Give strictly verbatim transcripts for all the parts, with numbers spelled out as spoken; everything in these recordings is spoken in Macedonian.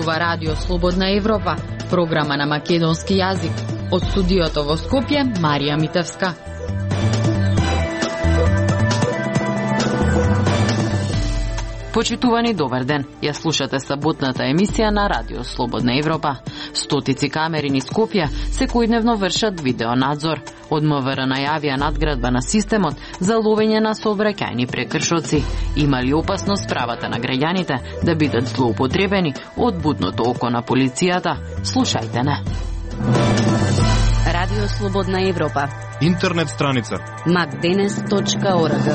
зборува Радио Слободна Европа, програма на македонски јазик. Од студиото во Скопје, Марија Митевска. Почитувани, добар ден. Ја слушате саботната емисија на Радио Слободна Европа. Стотици камери низ Скопје секојдневно вршат видеонадзор. Од МВР најавија надградба на системот за ловење на сообраќајни прекршоци. Има ли опасност правата на граѓаните да бидат злоупотребени од будното око на полицијата? Слушајте не. Радио Слободна Европа. Интернет страница макденес точка орг.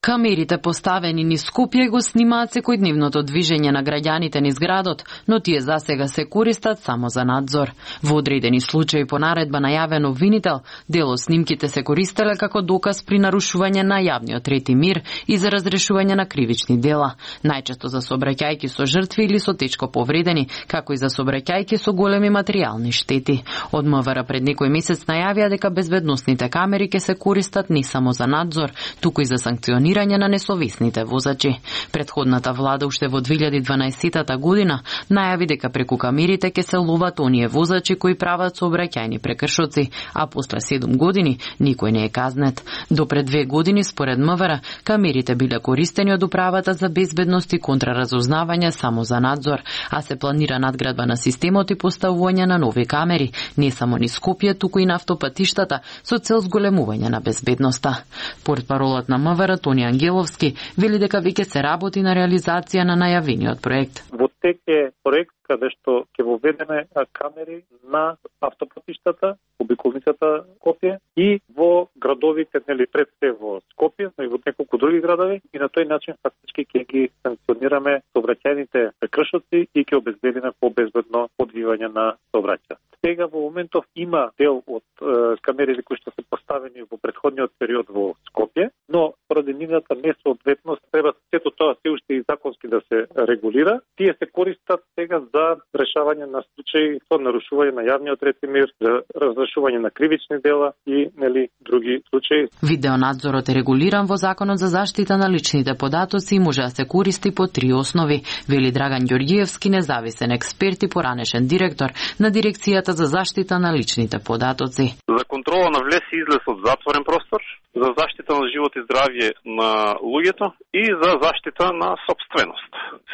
Камерите поставени низ Скопје го снимаат секојдневното движење на граѓаните низ градот, но тие засега се користат само за надзор. Во одредени случаи по наредба најавен обвинител, дел од снимките се користеле како доказ при нарушување на јавниот ред и мир и за разрешување на кривични дела, најчесто за сообраќајки со жртви или со тешко повредени, како и за сообраќајки со големи материјални штети. Од МВР пред некој месец најавија дека безбедносните камери ќе се користат не само за надзор, туку и за санкционирање на несовесните возачи. Предходната влада уште во две илјади и дванаесетта година најави дека преку камерите ќе се ловат оние возачи кои прават сообраќајни прекршоци, а после седум години никој не е казнет. До пред две години според МВР камерите биле користени од управата за безбедност и контраразузнавање само за надзор, а се планира надградба на системот и поставување на нови камери, не само низ Скопје, туку и на автопатиштата со цел зголемување на безбедноста. Портпаролот на МВР Тони Ангеловски вели дека веќе се работи на реализација на најавениот проект. Во тек е проект каде што ќе воведеме камери на автопатиштата, обиколницата Скопје и во градовите, нели пред се во Скопје, но и во неколку други градови, и на тој начин фактички ќе ги санкционираме сообраќајните прекршоци и ќе обезбедиме побезбедно одвивање на сообраќај. Сега во моментов има дел од е, камерите кои што се поставени во претходниот период во Скопје, но поради нивната несоодветност треба сето тоа се уште и законски да се регулира. Тие се користат сега за решавање на случаи со нарушување на јавниот ред и мир, за разрешување на кривични дела и нели други случаи. Видеонадзорот е регулиран во Законот за заштита на личните податоци и може да се користи по три основи, вели Драган Ѓорѓиевски, независен експерт и поранешен директор на Дирекцијата за заштита на личните податоци. За контрола на влез и излез од затворен простор, за заштита на живот и здравје на луѓето и за заштита на собственост.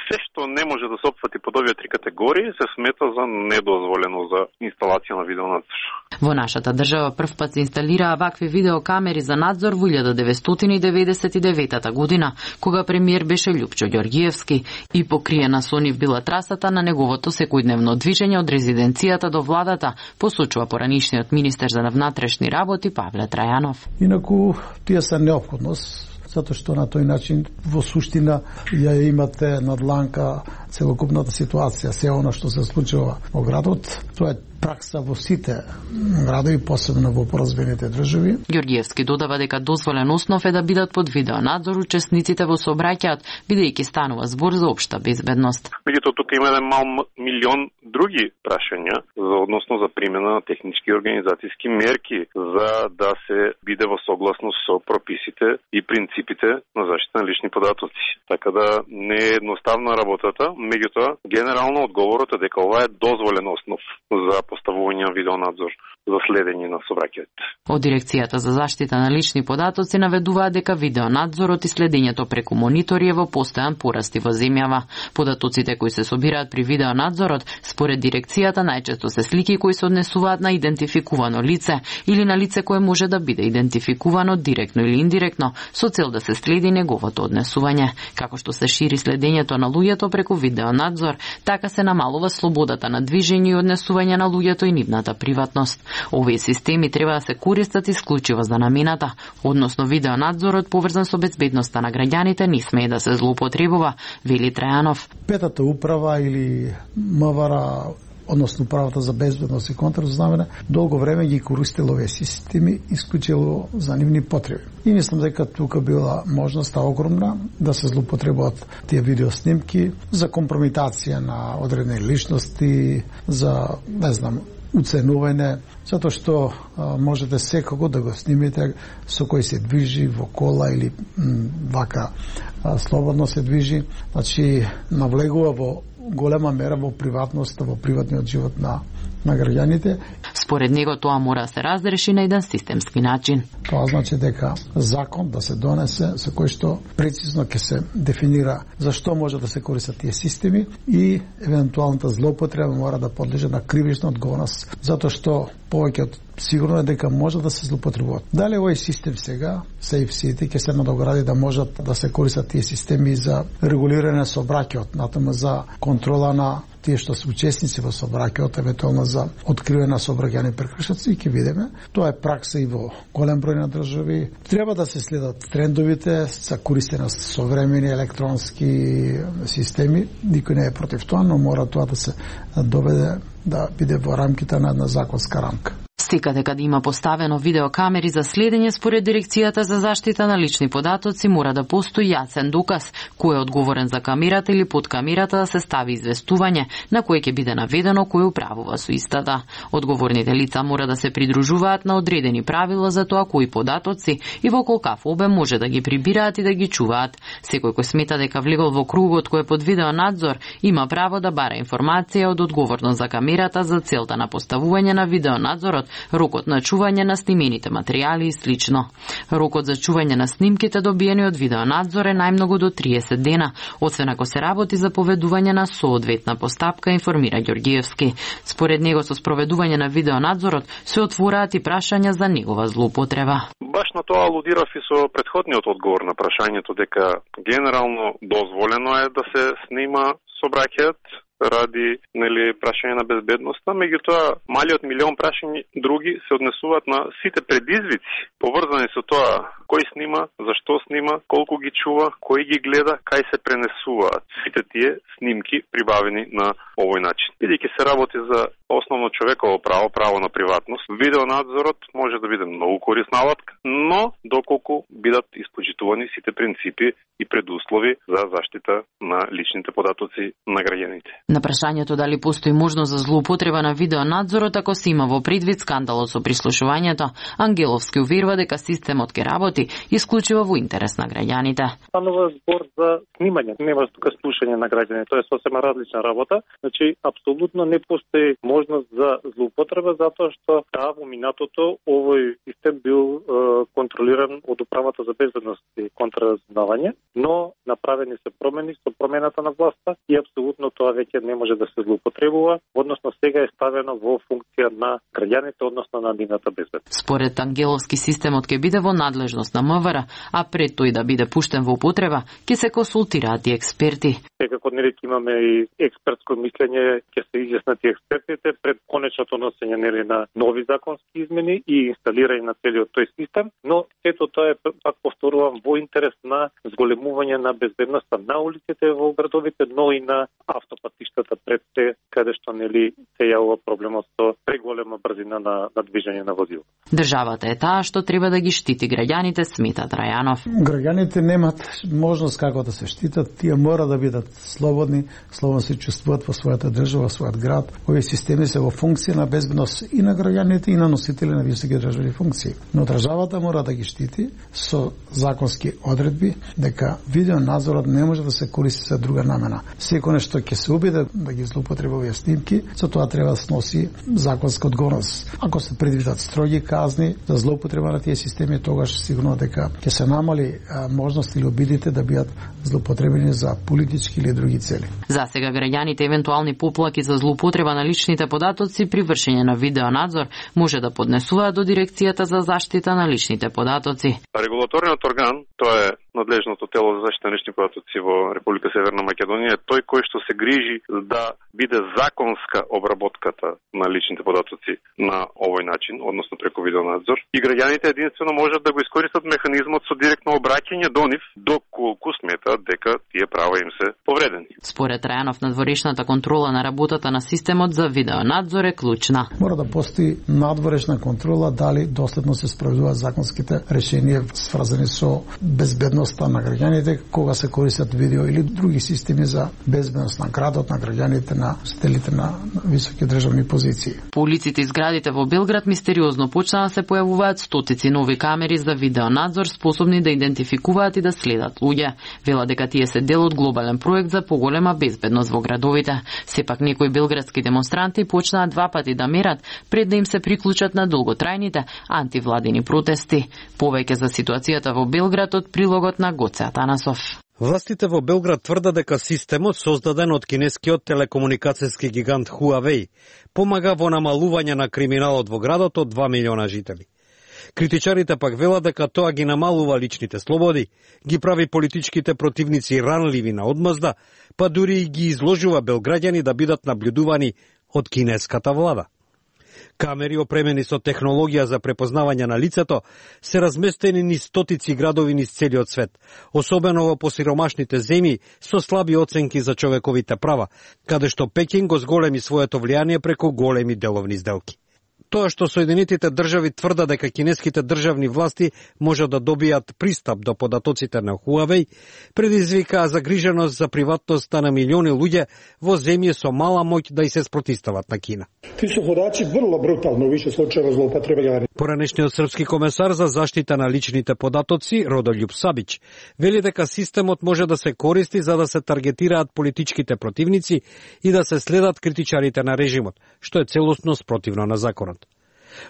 Се што не може да се опфати под овие три категории се смета за недозволено за инсталација на видеонадзор. Во нашата држава прв пат се инсталираа вакви видеокамери за надзор во илјада деветстотини деведесет и девета година, кога премиер беше Љупчо Ѓорѓиевски и покриена со нив била трасата на неговото секојдневно движење од резиденцијата до владата, посочува поранишниот министер за внатрешни работи Павле Трајанов. Инаку тие се неопходност, затоа што на тој начин во суштина ја имате надланка целокупната ситуација, се она што се случува во градот. Тоа е пракса во сите градови, посебно во поразвините држави. Ѓорѓиевски додава дека дозволен основ е да бидат под видеонадзор учесниците во сообраќајот, бидејќи станува збор за општа безбедност. Меѓутоа тука има еден мал милион други прашања за односно за примена на технички и организацијски мерки за да се биде во согласност со прописите и принципите на заштита на лични податоци. Така да не е едноставна работата, меѓутоа генерално одговорот е дека ова е дозволен основ за поставување на видеонадзор за следење на сообраќајот. Од Дирекцијата за заштита на лични податоци наведуваат дека видеонадзорот и следењето преку монитори е во постојан пораст во земјава. Податоците кои се собираат при видеонадзорот, според Дирекцијата, најчесто се слики кои се однесуваат на идентификувано лице или на лице кое може да биде идентификувано директно или индиректно со цел да се следи неговото однесување. Како што се шири следењето на луѓето преку видеонадзор, така се намалува слободата на движење и однесување на луѓето и нивната приватност. Овие системи треба да се користат исклучиво за намената, односно видеонадзорот поврзан со безбедноста на граѓаните не смее да се злоупотребува, вели Трајанов. Петата управа или МВР, односно правата за безбедност и контраразузнавање, долго време ги користело овие системи исклучиво за нивни потреби. И мислам дека тука била можноста огромна да се злоупотребуваат тие видеоснимки за компромитација на одредени личности, за, не знам, уценување, затоа што а, можете секако да го снимите со кој се движи во кола или м, вака а, слободно се движи, значи навлегува во голема мера во приватноста, во приватниот живот на на граѓаните. Според него тоа мора да се разреши на еден системски начин. Тоа значи дека закон да се донесе со кој што прецизно ќе се дефинира зашто може да се користат тие системи и евентуалната злоупотреба мора да подлежи на кривична одговорност, затоа што повеќе сигурно е дека може да се злоупотребуваат. Дали овој систем сега, SafeCity, ќе се надогради да можат да се користат тие системи за регулирање на сообраќајот, натаму за контрола на тие што се учесници во сообраќајот, евентуално за откривање на сообраќајни прекршоци, ќе видиме. Тоа е пракса и во голем број на држави. Треба да се следат трендовите за користење на современи електронски системи. Никој не е против тоа, но мора тоа да се доведе да биде во рамките на една законска рамка. Секаде каде има поставено видеокамери за следење според Дирекцијата за заштита на лични податоци мора да постои јасен доказ кој е одговорен за камерата или под камерата да се стави известување на кој ќе биде наведено кој управува со истата. Одговорните лица мора да се придружуваат на одредени правила за тоа кои податоци и во колкав обем може да ги прибираат и да ги чуваат. Секој кој смета дека влегол во кругот кој е под видеонадзор има право да бара информација од одговорно за камерата за целта на поставување на видеонадзорот, рокот на чување на снимените материјали и слично. Рокот за чување на снимките добиени од видеонадзор е најмногу до триесет дена, освен ако се работи за поведување на соодветна постапка, информира Ѓоргиевски. Според него со спроведување на видеонадзорот се отвораат и прашања за негова злоупотреба. Баш на тоа алудирав и со претходниот одговор на прашањето дека генерално дозволено е да се снима сообраќајот ради нели прашање на безбедноста, меѓутоа малиот милион прашања други се однесуваат на сите предизвици поврзани со тоа кој снима, зашто снима, колку ги чува, кој ги гледа, кај се пренесуваат сите тие снимки прибавени на овој начин. Бидејќи се работи за основно човеково право, право на приватност, видеонадзорот може да биде многу корисна алатка, но доколку бидат испочитувани сите принципи и предуслови за заштита на личните податоци на граѓаните. На прашањето дали постои можност за злоупотреба на видеонадзорот ако се има во предвид скандалот со прислушувањето, Ангеловски уверува дека системот ќе работи исклучиво во интерес на граѓаните. Станува збор за снимање, нема тука слушање на граѓаните, тоа е сосема различна работа. Значи апсолутно не постои можност за злоупотреба затоа што да, во минатото овој систем бил е, контролиран од управата за безбедност и контраразузнавање, но направени се промени со промената на власта и апсолутно тоа веќе не може да се злоупотребува, односно сега е ставено во функција на граѓаните, односно на нивната безбедност. Според Ангеловски системот ќе биде во надлежност на МВР, а пред тој да биде пуштен во употреба, ќе се консултираат и експерти. Секако нели имаме и експертско мислење, ќе се изјаснат и експертите пред конечното носење нели на нови законски измени и инсталирање на целиот тој систем, но ето тоа е, пак повторувам, во интерес на зголемување на безбедноста на улиците во градовите, но и на автопатиштата пред те, каде што нели се јавува проблемот со преголема брзина на, на движење на возила. Државата е таа што треба да ги штити граѓаните, смета Трајанов. Граѓаните немат можност како да се штитат, тие мора да бидат слободни, слободно се чувствуваат во својата држава, во својот град. Овие системи се во функција на безбедност и на граѓаните и на носители на високи државни функции. Но државата мора да ги штити со законски одредби дека видеонадзорот не може да се користи за друга намена. Секој нешто ќе се обиде да ги злоупотреба овие снимки, за тоа треба да сноси законска одговорност. Ако се предвидат строги казни за злоупотреба на тие системи, тогаш сигурно дека ќе се намали можност или обидите да бидат злоупотребени за политички или други цели. За сега граѓаните евентуални поплаки за злоупотреба на личните податоци при вршење на видеонадзор може да поднесуваат до Дирекцијата за заштита на личните податоци. Регулаторниот орган, тоа е надлежното тело за заштита на лични податоци во Република Северна Македонија, тој кој што се грижи да биде законска обработката на личните податоци на овој начин, односно преку видеонадзор. И граѓаните единствено можат да го искористат механизмот со директно обраќање до нив, доколку сметаат дека тие права им се повредени. Според Трајанов, надворешната контрола на работата на системот за видеонадзор е клучна. Мора да постои надворешна контрола дали доследно се спроведуваат законските решенија сврзани со безбедност безбедноста на граѓаните кога се користат видео или други системи за безбедност на градот, на граѓаните, на стелите на високи државни позиции. По улиците и зградите во Белград мистериозно почнаа да се појавуваат стотици нови камери за видеонадзор способни да идентификуваат и да следат луѓе. Вела дека тие се дел од глобален проект за поголема безбедност во градовите. Сепак некои белградски демонстранти почнаа два пати да мерат пред да им се приклучат на долготрајните антивладини протести. Повеќе за ситуацијата во Белград од прилогот на Гоце Атанасов. Властите во Белград тврдат дека системот создаден од кинескиот телекомуникацијски гигант Huawei помага во намалување на криминалот во градот од два милиона жители. Критичарите пак велат дека тоа ги намалува личните слободи, ги прави политичките противници ранливи на одмазда, па дури и ги изложува белграѓани да бидат наблюдувани од кинеската влада. Камери опремени со технологија за препознавање на лицето се разместени низ стотици градови низ целиот свет, особено во посиромашните земји со слаби оценки за човековите права, каде што Пекин го зголеми своето влијание преку големи деловни сделки. Тоа што Соединетите држави тврда дека кинеските државни власти може да добијат пристап до податоците на Huawei, предизвика загриженост за приватноста на милиони луѓе во земји со мала моќ да и се спротивстават на Кина. Ти се подаци врло брутално више случаева злоупотребања. Поранешниот српски комесар за заштита на личните податоци Родолјуб Сабич вели дека системот може да се користи за да се таргетираат политичките противници и да се следат критичарите на режимот, што е целосно спротивно на законот.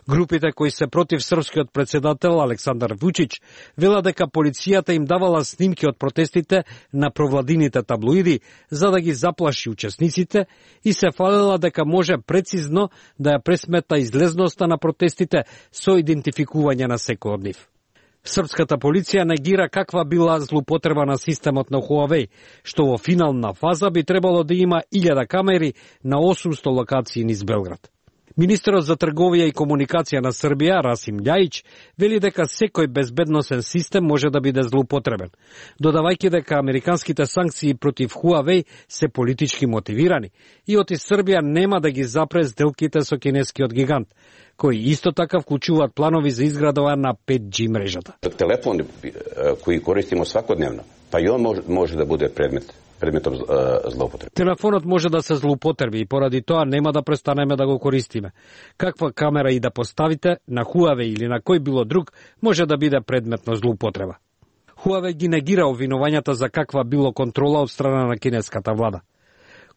Групите кои се против српскиот председател Александар Вучич вела дека полицијата им давала снимки од протестите на провладините таблоиди за да ги заплаши учесниците и се фалела дека може прецизно да ја пресмета излезноста на протестите со идентификување на секој од нив. Српската полиција негира каква била злоупотреба на системот на Huawei, што во финална фаза би требало да има илјада камери на осумсто локации низ Белград. Министерот за трговија и комуникација на Србија, Расим Љајич, вели дека секој безбедносен систем може да биде злоупотребен, додавајќи дека американските санкции против Huawei се политички мотивирани и оти Србија нема да ги запре сделките со кинескиот гигант, кои исто така вклучуваат планови за изградова на пет джи мрежата. Телефон кои користимо свакодневно, па и он може, може да биде предмет предметом злоупотреба. Телефонот може да се злоупотреби и поради тоа нема да престанеме да го користиме. Каква камера и да поставите на Huawei или на кој било друг може да биде предмет на злоупотреба. Huawei ги негира обвинувањата за каква било контрола од страна на кинеската влада.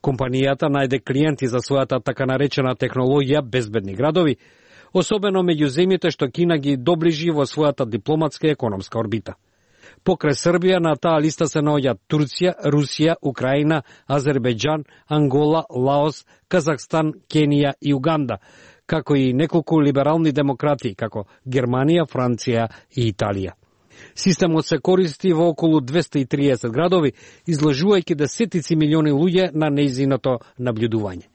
Компанијата најде клиенти за својата така наречена технологија безбедни градови, особено меѓу земјите што Кина ги доближи во својата дипломатска и економска орбита. Покрај Србија на таа листа се наоѓаат Турција, Русија, Украина, Азербејџан, Ангола, Лаос, Казахстан, Кенија и Уганда, како и неколку либерални демократии, како Германија, Франција и Италија. Системот се користи во околу двесте и триесет градови, изложувајќи десетици милиони луѓе на нејзиното наблюдување.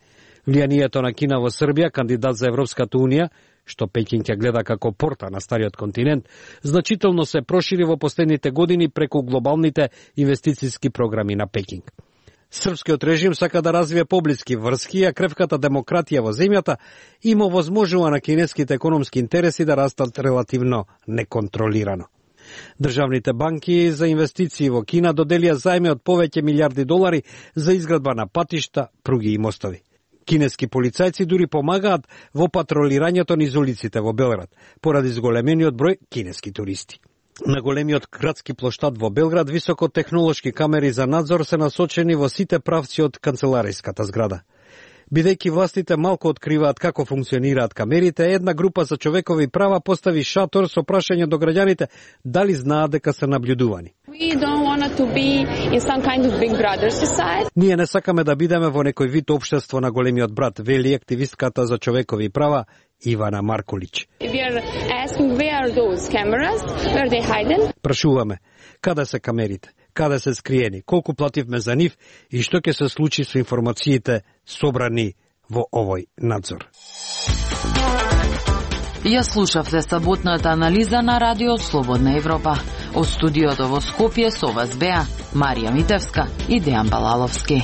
Влијанието на Кина во Србија, кандидат за Европската Унија, што Пекин ќе гледа како порта на стариот континент, значително се прошири во последните години преку глобалните инвестициски програми на Пекинг. Српскиот режим сака да развие поблиски врски, а кревката демократија во земјата има возможува на кинеските економски интереси да растат релативно неконтролирано. Државните банки за инвестиции во Кина доделија заеми од повеќе милиарди долари за изградба на патишта, пруги и мостови. Кинески полицајци дури помагаат во патролирањето низ улиците во Белград, поради зголемениот број кинески туристи. На големиот градски плоштад во Белград високотехнолошки камери за надзор се насочени во сите правци од канцелариската зграда. Бидејќи властите малку откриваат како функционираат камерите, една група за човекови права постави шатор со прашање до граѓаните дали знаат дека се наблюдувани. Kind of big brother society. Ние не сакаме да бидеме во некој вид општество на големиот брат, вели активистката за човекови права Ивана Маркулич. Прашуваме, каде се камерите, каде се скриени, колку плативме за нив и што ќе се случи со информациите собрани во овој надзор. Ја слушавте саботната анализа на Радио Слободна Европа. Од студиото во Скопје со вас беа Марија Митевска и Дејан Балаловски.